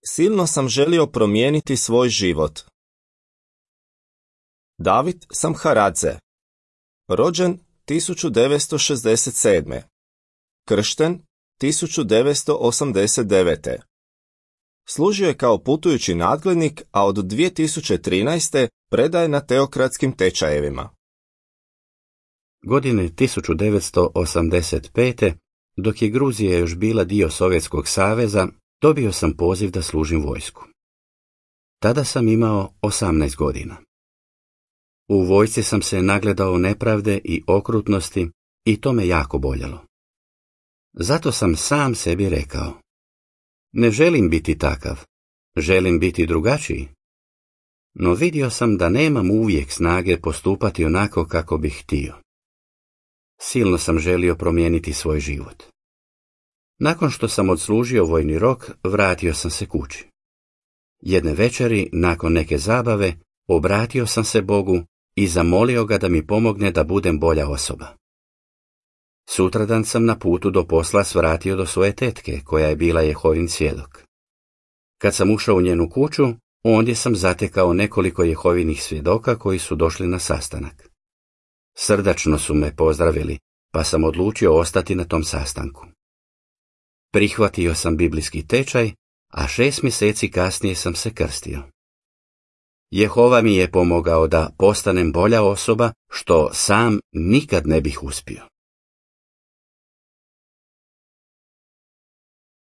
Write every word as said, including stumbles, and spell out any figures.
Silno sam želio promijeniti svoj život. David Samharadze, rođen tisuću devetsto šezdeset sedme. Kršten tisuću devetsto osamdeset devete. Služio je kao putujući nadglednik, a od dvije tisuće trinaeste predaje na teokratskim tečajevima. Godine tisuću devetsto osamdeset pete. dok je Gruzija još bila dio Sovjetskog saveza, dobio sam poziv da služim vojsku. Tada sam imao osamnaest godina. U vojsci sam se nagledao nepravde i okrutnosti i to me jako boljelo. Zato sam sam sebi rekao: ne želim biti takav, želim biti drugačiji. No vidio sam da nemam uvijek snage postupati onako kako bih htio. Silno sam želio promijeniti svoj život. Nakon što sam odslužio vojni rok, vratio sam se kući. Jedne večeri, nakon neke zabave, obratio sam se Bogu i zamolio ga da mi pomogne da budem bolja osoba. Sutradan sam na putu do posla svratio do svoje tetke, koja je bila Jehovin svjedok. Kad sam ušao u njenu kuću, ondje sam zatekao nekoliko Jehovinih svjedoka koji su došli na sastanak. Srdačno su me pozdravili, pa sam odlučio ostati na tom sastanku. Prihvatio sam biblijski tečaj, a šest mjeseci kasnije sam se krstio. Jehova mi je pomogao da postanem bolja osoba, što sam nikad ne bih uspio.